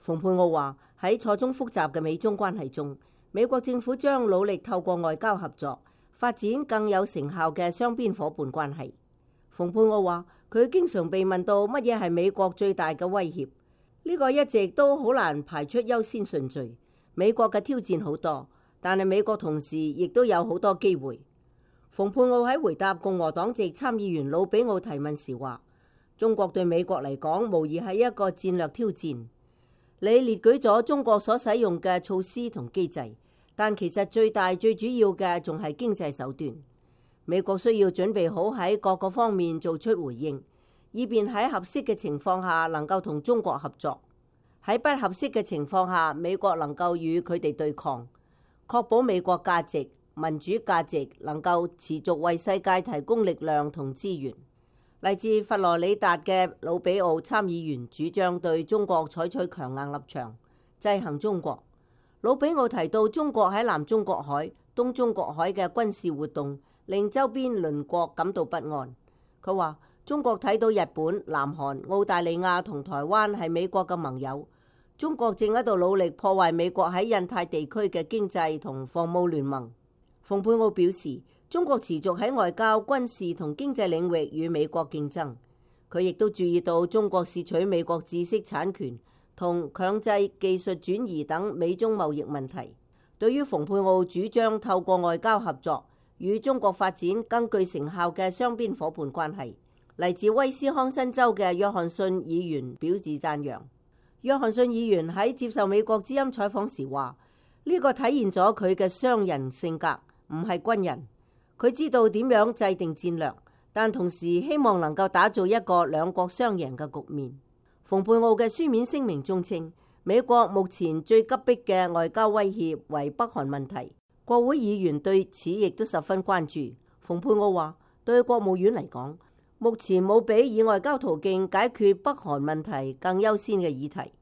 蓬佩奧話喺錯綜複雜嘅美中關係中，美國政府將努力透過外交合作發展更有成效嘅雙邊夥伴關係。蓬佩奧話佢經常被問到乜嘢係美國最大嘅威脅，呢個一直都好難排出優先順序。美國嘅挑戰好多，但係美國同時亦都有好多機會。蓬佩奧喺回答共和黨籍參議員魯比奧提問時話：中國對美國嚟講無疑係一個戰略挑戰。你列舉咗中國所使用嘅措施同機制，但其實最大最主要嘅仲係經濟手段。美國需要準備好喺各個方面做出回應，以便喺合適嘅情況下能夠同中國合作。喺不合適嘅情況下，美國能夠與佢哋對抗，確保美國價值、民主價值能夠持續為世界提供力量同資源。嚟自佛羅里達嘅魯比奧參議員主張對中國採取強硬立場，制衡中國。魯比奧提到中國喺南中國海、東中國海嘅軍事活動令周邊鄰國感到不安。佢話中國睇到日本、南韓、澳大利亞同台灣係美國嘅盟友，中國正喺度努力破壞美國喺印太地區嘅經濟同防務聯盟。蓬佩奧表示，中國持續喺外交、軍事同經濟領域與美國競爭。佢亦都注意到中國竊取美國知識產權同強制技術轉移等美中貿易問題。對於蓬佩奧主張透過外交合作與中國發展更具成效嘅雙邊夥伴關係，嚟自威斯康辛州嘅約翰遜議員表示讚揚。約翰遜議員喺接受美國之音採訪時話：呢個體現咗佢嘅商人性格，唔係軍人。佢知道點樣制定戰略，但同時希望能夠打造一個兩國雙贏嘅局面。蓬佩奧嘅書面聲明中稱，美國目前最急迫嘅外交威脅為北韓問題。國會議員對此亦都十分關注。蓬佩奧話：對國務院嚟講，目前冇比以外交途徑解決北韓問題更優先嘅議題。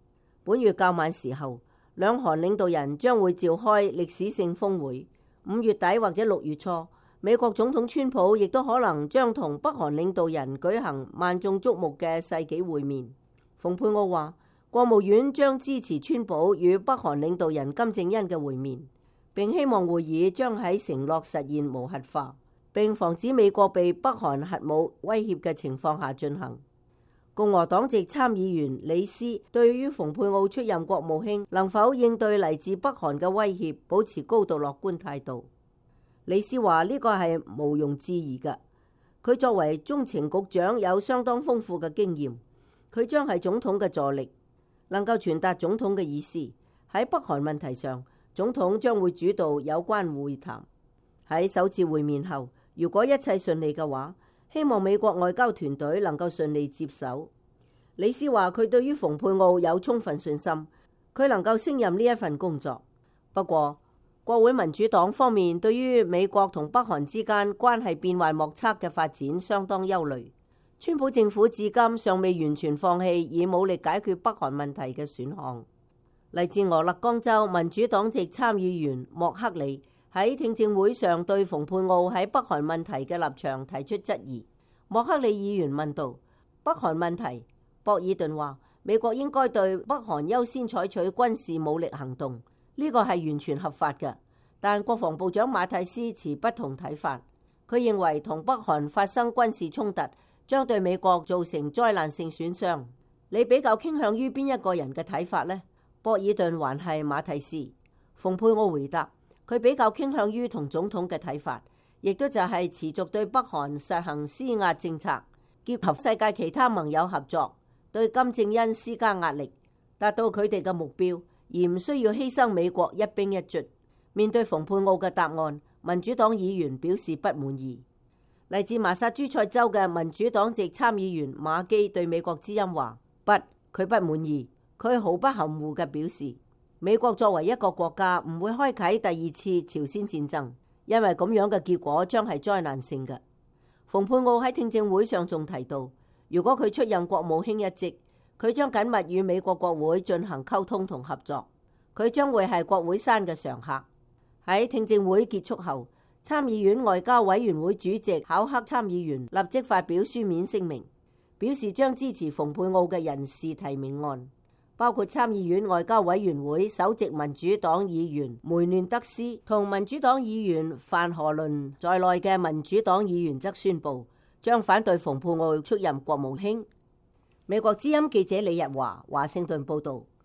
本月較晚時候，兩韓領導人將會召開歷史性峰會。5月底或者6月初，美國總統川普亦都可能將同北韓領導人舉行萬眾矚目嘅世紀會面。蓬佩奧話，國務院將支持川普與北韓領導人金正恩嘅會面，並希望會議將喺承諾實現無核化，並防止美國被北韓核武威脅嘅情況下進行。共和黨籍參議員李斯對於蓬佩奧出任國務卿能否應對嚟自北韓嘅威脅保持高度樂觀態度。李斯話呢個係毋庸置疑嘅。佢作為中情局長有相當豐富嘅經驗，佢將係總統嘅助力，能夠傳達總統嘅意思。喺北韓問題上，總統將會主導有關會談。喺首次會面後，如果一切順利嘅話，希望美國外交團隊能夠順利接手。李斯話佢對於蓬佩奧有充分信心，佢能夠勝任呢一份工作。不過，國會民主黨方面對於美國同北韓之間關係變幻莫測嘅發展相當憂慮。川普政府至今尚未完全放棄以武力解決北韓問題嘅選項。嚟自俄勒岡州民主黨籍參議員莫克里喺聽證會上對蓬佩奧喺北韓問題嘅立場提出質疑。莫克里議員問道：北韓問題，博爾頓話美國應該對北韓優先採取軍事武力行動，呢個係完全合法嘅。但國防部長馬蒂斯持不同睇法，佢認為同北韓發生軍事衝突將對美國造成災難性損傷。你比較傾向於邊一個人嘅睇法呢？博爾頓還係馬蒂斯？蓬佩奧回答，佢比較傾向於同總統嘅睇法，亦都就係持續對北韓實行施壓政策，結合世界其他盟友合作，對金正恩施加壓力，達到佢哋嘅目標，而唔需要犧牲美國一兵一卒。面對蓬佩奧嘅答案，民主黨議員表示不滿意。嚟自麻薩諸塞州嘅民主黨籍參議員馬基對美國之音話：佢不滿意。佢毫不含糊嘅表示，美國作為一個國家唔會開啟第二次朝鮮戰爭，因為咁樣嘅結果將係災難性嘅。蓬佩奧喺聽證會上仲提到，如果佢出任國務卿一職，佢將緊密與美國國會進行溝通同合作，佢將會係國會山嘅常客。喺聽證會結束後，參議院外交委員會主席考克參議員立即發表書面聲明，表示將支持蓬佩奧嘅人事提名案。包括參議院外交委員會首席民主黨議員梅嫩德斯同民主黨議員范荷倫在內嘅民主黨議員則宣布將反對蓬佩奧出任國務卿。美國之音記者李日華華盛頓報道。